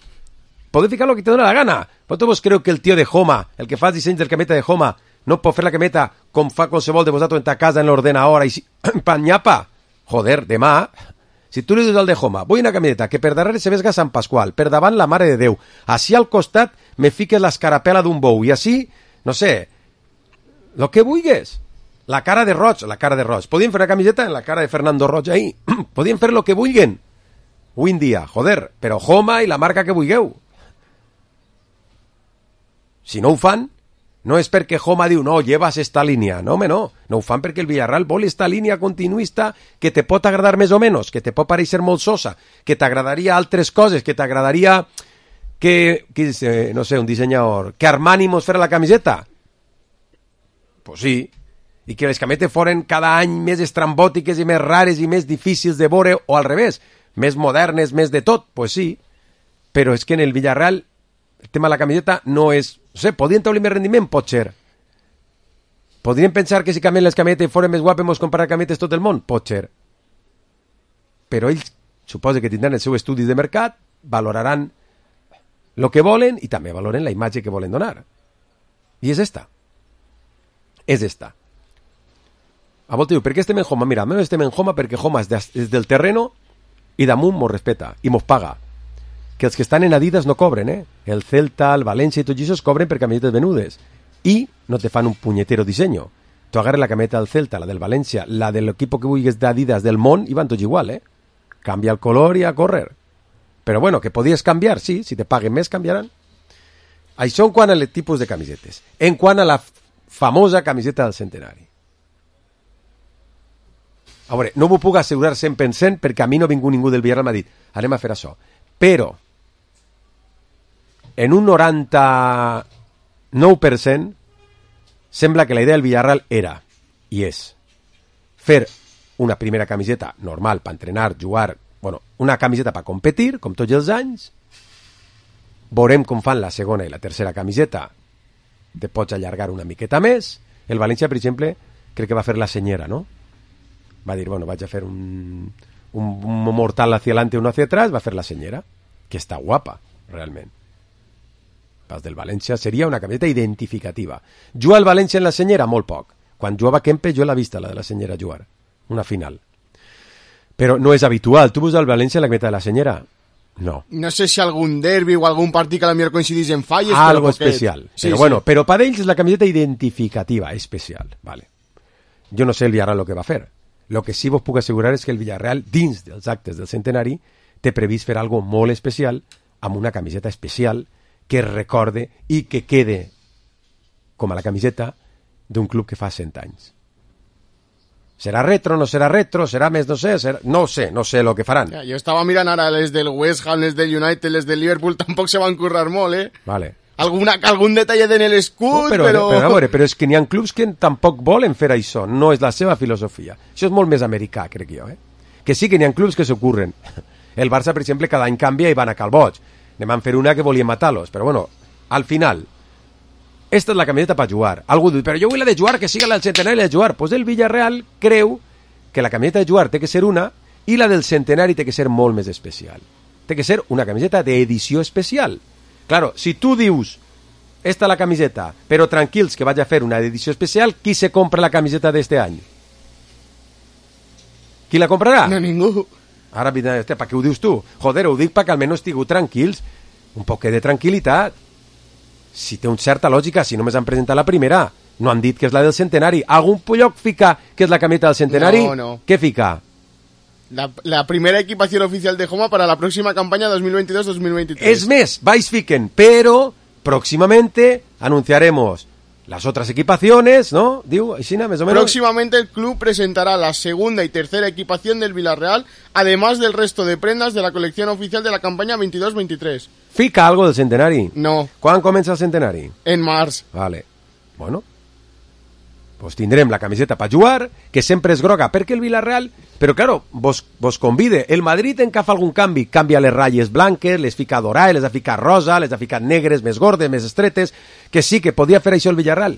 Podeu ficar el que te dona la gana. Vosaltres vos creu que el tio de Homa, el que fa els dissenys del cameta de Homa, no pot fer la cameta com fa qualsevol de vosaltres en ta casa en l'ordenador i panyapa? Joder, demà, si tu li dius al de Homa, vull una camioneta que per darrere se vesga Sant Pasqual, per davant la Mare de Déu, així al costat me fiques l'escarapela d'un bou, i així, no sé, lo que vulguis. La cara de Roig. Podien fer una camiseta en la cara de Fernando Roig ahí. Podien fer lo que vulguen. Avui en dia, joder, però Homa i la marca que vulgueu. Si no ho fan, no és perquè Homa diu, no, llevas esta línia. No, home, no. No ho fan perquè el Villarreal vol esta línia continuista que te pot agradar més o menys, que te pot pareixer molt sosa, que t'agradaria altres coses, que t'agradaria que no sé, un dissenyador, que Armani mos fera la camiseta. Pues sí. I que les cametes foren cada any més estrambòtiques i més rares i més difícils de veure, o al revés, més modernes, més de tot, pues sí. Però és que en el Villarreal el tema de la camiseta no és... No sé, podrien tenir més rendiment? Pot ser. Podrien pensar que si canvien les cametes i foren més guapes mos comprar cametes tot el món? Pot ser. Però ells suposa que tindran els seus estudis de mercat, valoraran el que volen i també valoren la imatge que volen donar. I és esta. És esta. A volta diu, per què estem en Homa? Mira, almenys estem en Homa perquè Homa és del terreno i damunt mos respeta i mos paga. Que els que estan en Adidas no cobren, eh? El Celta, el València i tots aquests cobren per camisetes venudes. I no te fan un punyetero disseny. Tu agarres la cameta del Celta, la del València, la de l'equip que vulguis d'Adidas del món i van tots igual, eh? Canvia el color i a córrer. Però bueno, que podies canviar, sí, si te paguen més canviaran. Això en quant al tipus de camisetes. En quant a la famosa camiseta del centenari. A veure, no m'ho puc assegurar 100% perquè a mi no ha vingut ningú del Villarreal m'ha dit anem a fer això. Però en un 99% sembla que la idea del Villarreal era i és fer una primera camiseta normal per entrenar, jugar, bueno, una camiseta per competir, com tots els anys. Veurem com fan la segona i la tercera camiseta. Te pots allargar una miqueta més. El València, per exemple, crec que va fer la senyera, no? Va dir, bueno, vaig a fer un mortal hacia adelante, uno hacia atrás, va a fer la senyera, que està guapa, realment. Pas del València seria una camiseta identificativa. Juga el València en la senyera? Molt poc. Quan jugava Kempe jo l'he vista, la de la senyera jugar. Una final. Però no és habitual. Tu veus el València en la camiseta de la senyera? No. No sé si algun derbi o algun partit que a la millor coincidís en falles. Algo especial. Sí, però sí. Bueno, però per ells és la camiseta identificativa, especial. Vale. Jo no sé el Villarreal el que va fer. Lo que sí vos puc assegurar és que el Villarreal, dins dels actes del centenari, té previst fer algo molt especial, amb una camiseta especial, que recorde i que quede com a la camiseta d'un club que fa 100 anys. Serà retro, no serà retro, serà més, no sé, no sé el que faran. Ja, jo estava mirant ara les del West Ham, les del United, les del Liverpool, tampoc se van currar molt, eh? Vale. Algun detall en l'escut, però és que n'hi ha clubs que tampoc volen fer això, no és la seva filosofia. Això és molt més americà, crec jo, eh? Que sí que n'hi ha clubs que s'ocorren. El Barça, per exemple, cada any canvia i van a Calboig. Ne van fer una que volien matar-los, però bueno, al final, esta és la camiseta per jugar. Algú diu, però jo vull la de jugar, que siga la del centenari de jugar. Pues el Villarreal creu que la camiseta de jugar té que ser una i la del centenari té que ser molt més especial. Té que ser una camiseta d'edició especial. Claro, si tu dius, esta la camiseta, però tranquils que vaig a fer una edició especial, qui se compra la camiseta d'este any? Qui la comprarà? No, ningú. Ara, per què ho dius tu? Joder, ho dic perquè almenys estigueu tranquils. Un poc de tranquil·litat. Si té una certa lògica, si només han presentat la primera, no han dit que és la del centenari. Algun lloc fica que és la camiseta del centenari? No. Què fica? La primera equipación oficial de Homa para la próxima campaña 2022-2023. Es més, vais fiquen, pero próximamente anunciaremos las otras equipaciones, ¿no? Digo, Isina, más o menos. Próximamente el club presentará la segunda y tercera equipación del Villarreal, además del resto de prendas de la colección oficial de la campaña 22-23. ¿Fica algo del centenari? No. ¿Cuándo comienza el centenari? En març. Vale. Bueno, pues tindrem la camiseta per jugar, que sempre és groga, perquè el Villarreal... Però, claro, vos convide. El Madrid en què fa algun canvi, canvia les ratlles blanques, les fica dorades, les ha ficat rosa, les ha ficat negres, més gordes, més estretes, que sí, que podia fer això el Villarreal.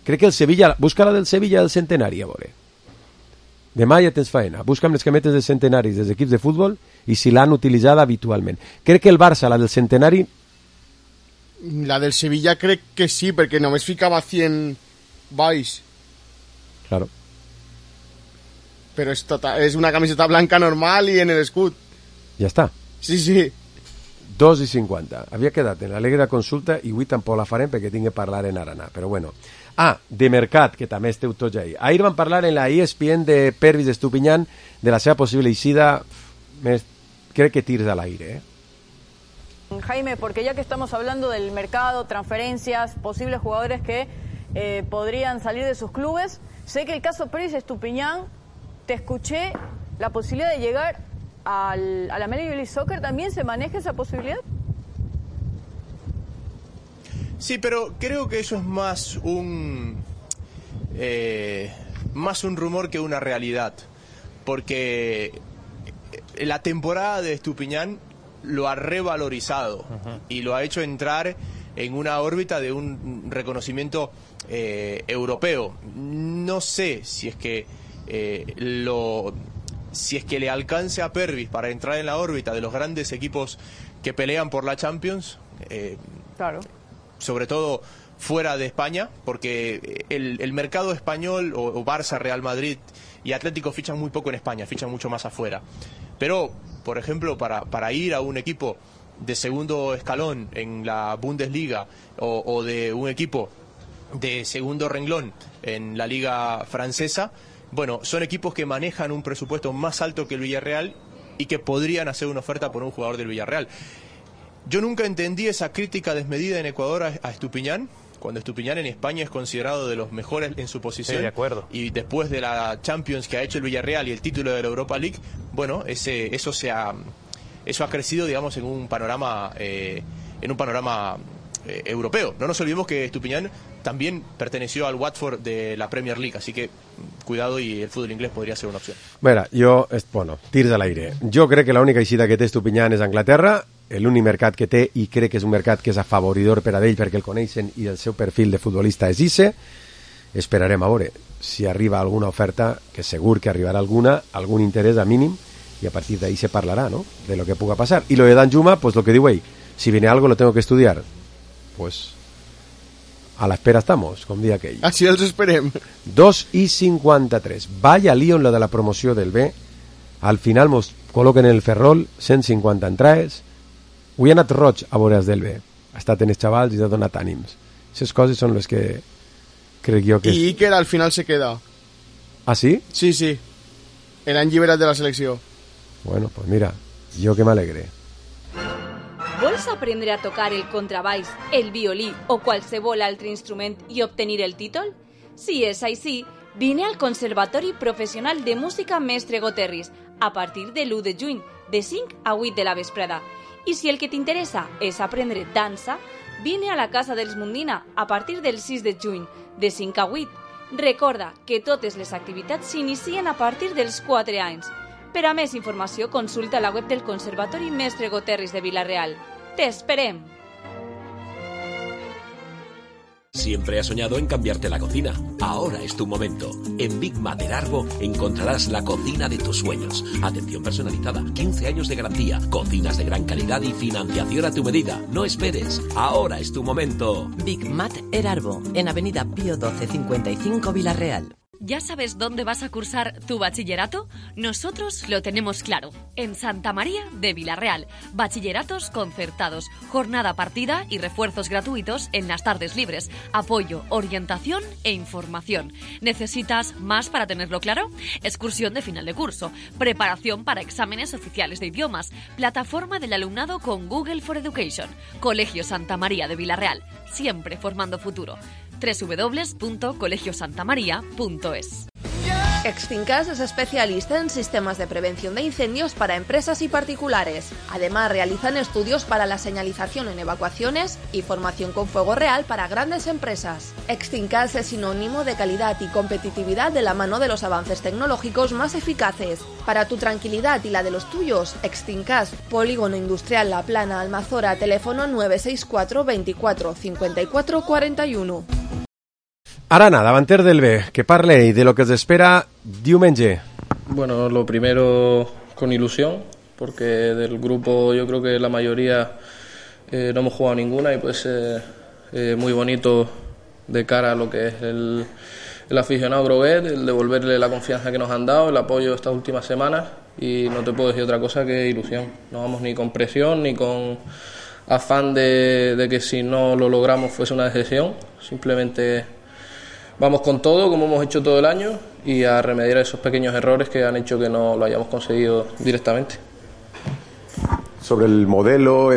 Crec que el Sevilla... Busca la del Sevilla del centenari, a veure. Demà ja tens faena. Busca'm les cametes dels centenaris dels equips de futbol i si l'han utilitzada habitualment. Crec que el Barça, la del centenari... La del Sevilla crec que sí, perquè només ficava 100 baix. Claro. Però és una camiseta blanca normal i en l'escut. Ja està. Sí, sí. 2:50. Havia quedat en l'alegre consulta i avui tampoc la farem perquè tinc que parlar en Arana. Però bueno. De mercat, que també esteu tots ahí. Ahir van parlar en la ESPN de Pervis Estupiñán de la seva possible eixida. Crec que tirs a l'aire, Jaime, porque ya que estamos hablando del mercado, transferencias, posibles jugadores que podrían salir de sus clubes, sé que el caso Pervis Estupiñán, te escuché la posibilidad de llegar a la Major League Soccer. ¿También se maneja esa posibilidad? Sí, pero creo que eso es más un rumor que una realidad, porque la temporada de Estupiñán lo ha revalorizado y lo ha hecho entrar en una órbita de un reconocimiento europeo. No sé si es que le alcance a Pervis para entrar en la órbita de los grandes equipos que pelean por la Champions. Claro. Sobre todo fuera de España, porque el mercado español o Barça, Real Madrid y Atlético fichan muy poco en España, fichan mucho más afuera. Pero, por ejemplo, para ir a un equipo de segundo escalón en la Bundesliga o de un equipo de segundo renglón en la Liga Francesa, bueno, son equipos que manejan un presupuesto más alto que el Villarreal y que podrían hacer una oferta por un jugador del Villarreal. Yo nunca entendí esa crítica desmedida en Ecuador a Estupiñán, cuando Estupiñán en España es considerado de los mejores en su posición. Sí, de acuerdo. Y después de la Champions que ha hecho el Villarreal y el título de la Europa League, bueno, eso ha crecido, digamos, en un panorama europeo. No nos olvidemos que Estupiñán también perteneció al Watford de la Premier League, así que cuidado y el fútbol inglés podría ser una opción. Tirs a l'aire. Jo crec que l'única eixida que té Estupiñán és Anglaterra, l'únic mercat que té, i crec que és un mercat que és afavoridor per a ell perquè el coneixen i el seu perfil de futbolista és isse. Esperarem a veure si arriba alguna oferta, que segur que arribarà alguna, algun interès a mínim, i a partir d'ahí se parlarà, ¿no?, de lo que puga pasar. Y lo de Danjuma, pues lo que digo ahí, si viene algo lo tengo que estudiar, pues a la espera estamos, com dia aquell. Així els esperem. 2:53. Vaya lío en lo de la promoció del B. Al final mos col·loquen en el Ferrol 150 entrades. Avui ha anat roig a veure del B. Ha estat en els xavals i ha donat ànims. Aquestes coses són les que crec jo que... I Iker al final se queda. ¿Ah, sí? Sí, sí. L'han lliberat de la selecció. Bueno, pues mira, jo que m'alegre. Vols aprendre a tocar el contrabaix, el violí o qualsevol altre instrument i obtenir el títol? Si és així, vine al Conservatori Professional de Música Mestre Goterris a partir de l'1 de juny, de 5 a 8 de la vesprada. I si el que t'interessa és aprendre dansa, vine a la Casa dels Mundina a partir del 6 de juny, de 5 a 8. Recorda que totes les activitats s'inicien a partir dels 4 anys. Per a més informació, consulta la web del Conservatori Mestre Goterris de Vila-real. ¡Te esperem! Siempre has soñado en cambiarte la cocina. Ahora es tu momento. En Big Mater Arbo encontrarás la cocina de tus sueños. Atención personalizada, 15 años de garantía, cocinas de gran calidad y financiación a tu medida. No esperes. Ahora es tu momento. Big Mater Arbo, en Avenida Pío 12 55 Vila-real. ¿Ya sabes dónde vas a cursar tu bachillerato? Nosotros lo tenemos claro. En Santa María de Vila-real. Bachilleratos concertados, jornada partida y refuerzos gratuitos en las tardes libres. Apoyo, orientación e información. ¿Necesitas más para tenerlo claro? Excursión de final de curso. Preparación para exámenes oficiales de idiomas. Plataforma del alumnado con Google for Education. Colegio Santa María de Vila-real. Siempre formando futuro. www.colegiosantamaria.es. Extincas es especialista en sistemas de prevención de incendios para empresas y particulares. Además, realizan estudios para la señalización en evacuaciones y formación con fuego real para grandes empresas. Extincas es sinónimo de calidad y competitividad de la mano de los avances tecnológicos más eficaces. Para tu tranquilidad y la de los tuyos, Extincas, Polígono Industrial La Plana, Almazora, teléfono 964 24 54 41. Arana, davanter del B, que parle de lo que os espera diumenge. Bueno, lo primero con ilusión, porque del grupo yo creo que la mayoría no hemos jugado ninguna y pues muy bonito de cara a lo que es el aficionado groguet, el devolverle la confianza que nos han dado, el apoyo estas últimas semanas, y no te puedo decir otra cosa que ilusión. No vamos ni con presión ni con afán de que si no lo logramos fuese una decepción, simplemente vamos con todo como hemos hecho todo el año y a remediar esos pequeños errores que han hecho que no lo hayamos conseguido directamente. Sobre el modelo,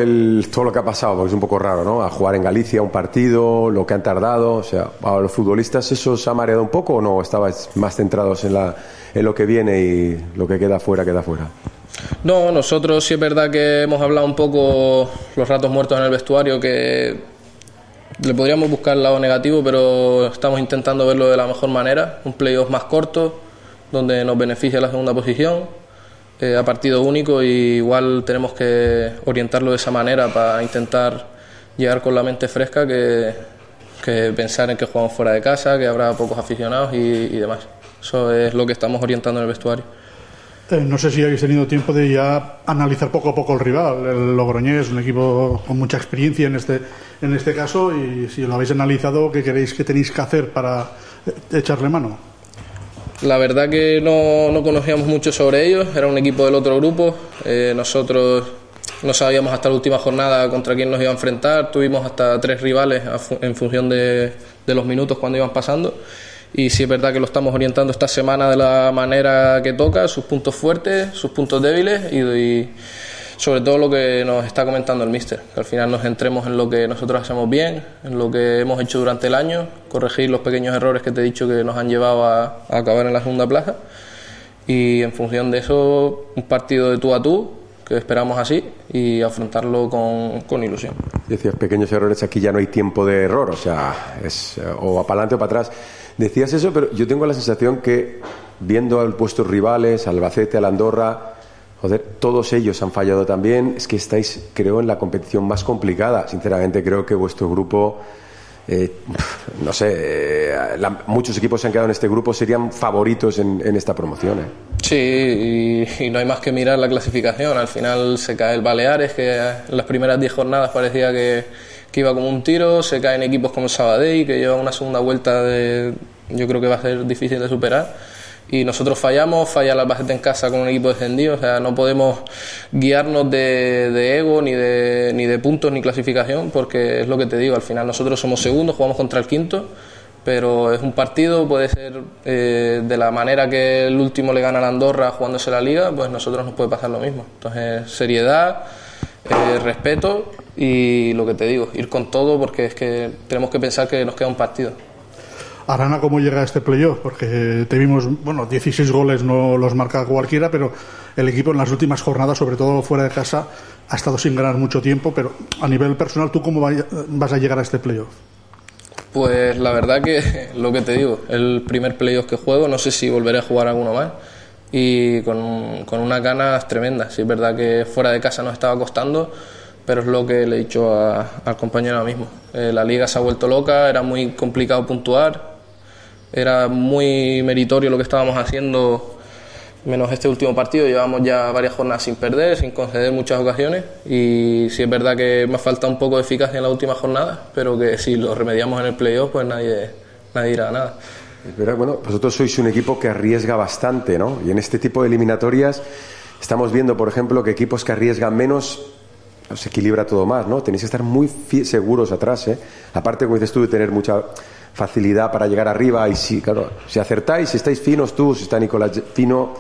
todo lo que ha pasado, porque es un poco raro, ¿no? A jugar en Galicia un partido, lo que han tardado, o sea, a los futbolistas, ¿eso os ha mareado un poco o no? ¿Estabais más centrados en lo que viene y lo que queda fuera, queda fuera? No, nosotros sí es verdad que hemos hablado un poco los ratos muertos en el vestuario, que le podríamos buscar el lado negativo, pero estamos intentando verlo de la mejor manera, un playoff más corto, donde nos beneficia la segunda posición, a partido único, y igual tenemos que orientarlo de esa manera para intentar llegar con la mente fresca que pensar en que jugamos fuera de casa, que habrá pocos aficionados y demás. Eso es lo que estamos orientando en el vestuario. No sé si habéis tenido tiempo de ya analizar poco a poco el rival. El Logroñés es un equipo con mucha experiencia en este caso, y si lo habéis analizado, ¿qué creéis que tenéis que hacer para echarle mano? La verdad que no conocíamos mucho sobre ellos, era un equipo del otro grupo, nosotros no sabíamos hasta la última jornada contra quién nos iba a enfrentar, tuvimos hasta 3 rivales en función de los minutos cuando iban pasando, y sí es verdad que lo estamos orientando esta semana de la manera que toca, sus puntos fuertes, sus puntos débiles y sobre todo lo que nos está comentando el míster, que al final nos centremos en lo que nosotros hacemos bien, en lo que hemos hecho durante el año, corregir los pequeños errores que te he dicho que nos han llevado a acabar en la segunda plaza, y en función de eso un partido de tú a tú, que esperamos así, y afrontarlo con ilusión. Decías pequeños errores, aquí ya no hay tiempo de error, o sea, es o para adelante o para atrás. Decías eso, pero yo tengo la sensación que viendo a vuestros rivales, Albacete, al Andorra, joder, todos ellos han fallado también. Es que estáis, creo, en la competición más complicada. Sinceramente, creo que vuestro grupo, no sé, muchos equipos se han quedado en este grupo, serían favoritos en esta promoción. Sí, y no hay más que mirar la clasificación. Al final se cae el Baleares, que en las primeras 10 jornadas parecía que iba como un tiro. Se caen equipos como el Sabadell, que lleva una segunda vuelta yo creo que va a ser difícil de superar. Y nosotros falla el Albacete en casa con un equipo descendido, o sea, no podemos guiarnos de ego, ni de puntos, ni clasificación, porque es lo que te digo, al final nosotros somos segundos, jugamos contra el quinto, pero es un partido, puede ser de la manera que el último le gana a la Andorra jugándose la Liga, pues nosotros nos puede pasar lo mismo. Entonces, seriedad, respeto y lo que te digo, ir con todo, porque es que tenemos que pensar que nos queda un partido. Arana, ¿cómo llega a este playoff? Porque te vimos, 16 goles no los marca cualquiera, pero el equipo en las últimas jornadas, sobre todo fuera de casa, ha estado sin ganar mucho tiempo, pero a nivel personal, ¿tú cómo vas a llegar a este playoff? Pues la verdad que lo que te digo, el primer playoff que juego, no sé si volveré a jugar alguno más, y con unas ganas tremendas. Sí, es verdad que fuera de casa nos estaba costando, pero es lo que le he dicho al compañero ahora mismo. La liga se ha vuelto loca, era muy complicado puntuar, era muy meritorio lo que estábamos haciendo, menos este último partido. Llevamos ya varias jornadas sin perder, sin conceder muchas ocasiones, y sí es verdad que me falta un poco de eficacia en la última jornada, pero que si lo remediamos en el playoff, pues nadie dirá nada. Pero bueno, vosotros sois un equipo que arriesga bastante, ¿no? Y en este tipo de eliminatorias estamos viendo, por ejemplo, que equipos que arriesgan menos se equilibra todo más, ¿no? Tenéis que estar muy seguros atrás, ¿eh? Aparte, como dices tú, de tener mucha facilidad para llegar arriba, y sí, claro, si acertáis, si estáis finos tú, si está Nicolás fino,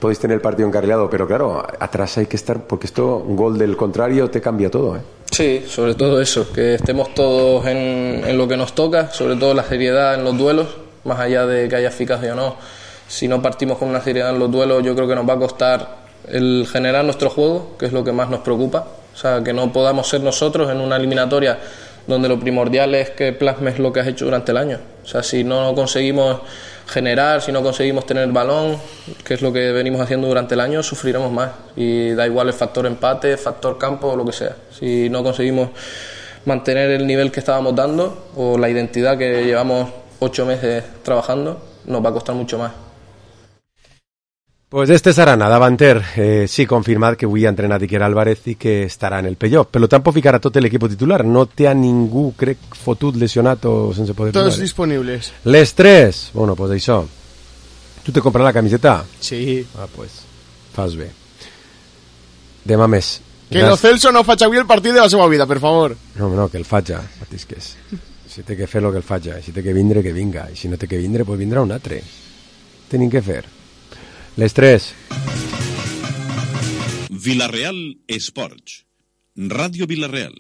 podéis tener el partido encarrilado, pero claro, atrás hay que estar, porque un gol del contrario te cambia todo, ¿eh? Sí, sobre todo eso, que estemos todos en lo que nos toca, sobre todo la seriedad en los duelos, más allá de que haya eficacia o no. Si no partimos con una seriedad en los duelos, yo creo que nos va a costar el generar nuestro juego, que es lo que más nos preocupa. O sea, que no podamos ser nosotros en una eliminatoria donde lo primordial es que plasmes lo que has hecho durante el año. O sea, si no conseguimos generar, si no conseguimos tener el balón, que es lo que venimos haciendo durante el año, sufriremos más. Y da igual el factor empate, factor campo o lo que sea. Si no conseguimos mantener el nivel que estábamos dando o la identidad que llevamos 8 meses trabajando, nos va a costar mucho más. Pues este Sarana, davanter, sí, confirmat que avui ha entrenat Iker Álvarez i que estarà en el playoff. Per tant, pot ficar a tot l'equip titular. No té a ningú, crec, fotut, lesionat o sense poder jugar. Todos disponibles. Les tres. Bueno, pues això. Tu te compras la camiseta? Sí. Ah, pues, fas bé. Demà més. Que Lo Celso no faig avui el partit de la seva vida, per favor. No, que el faig, patisques. Si té que fer lo que el faig, si té que vindre, que vinga. I si no té que vindre, pues vindrà un altre. Tenim que fer. Les tres. Villarreal Esports. Ràdio Villarreal.